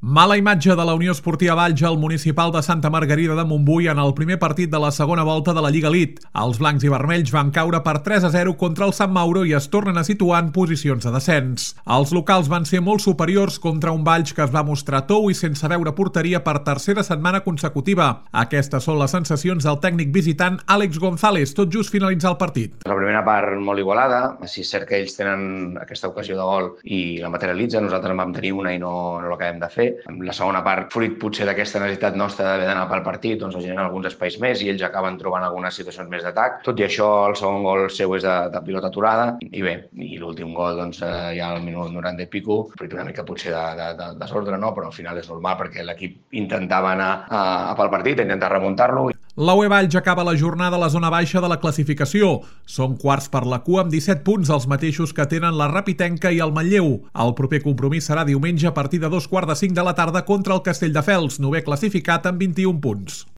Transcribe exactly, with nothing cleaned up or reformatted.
Mala imatge de la Unió Esportiva Valls al Municipal de Santa Margarida de Montbui en el primer partit de la segona volta de la Lliga Elite. Els blancs i vermells van caure per tres a zero contra el Sant Mauro i es tornen a situar en posicions de descens. Els locals van ser molt superiors contra un Valls que es va mostrar tou i sense veure porteria per tercera setmana consecutiva. Aquestes són les sensacions del tècnic visitant Àlex González, tot just finalitzar el partit. La primera part molt igualada, si és cert que ells tenen aquesta ocasió de gol i la materialitzen, nosaltres en vam tenir una i no, no l'acabem de fer. La segona part, fruit potser d'aquesta necessitat nostra d'haver d'anar pel partit, doncs es generen alguns espais més i ells acaben trobant algunes situacions més d'atac. Tot i això, el segon gol seu és de, de pilota aturada i bé, i l'últim gol doncs, ja al minut noranta i pico, fruit una mica potser de, de, de desordre, no? Però al final és normal perquè l'equip intentava anar a, a pel partit, intentar remuntar-lo. La U E Valls acaba la jornada a la zona baixa de la classificació. Són quarts per la cua amb disset punts, els mateixos que tenen la Rapitenca i el Manlleu. El proper compromís serà diumenge a partir de dos quarts de cinc de la tarda contra el Castelldefels, novè classificat amb vint-i-un punts.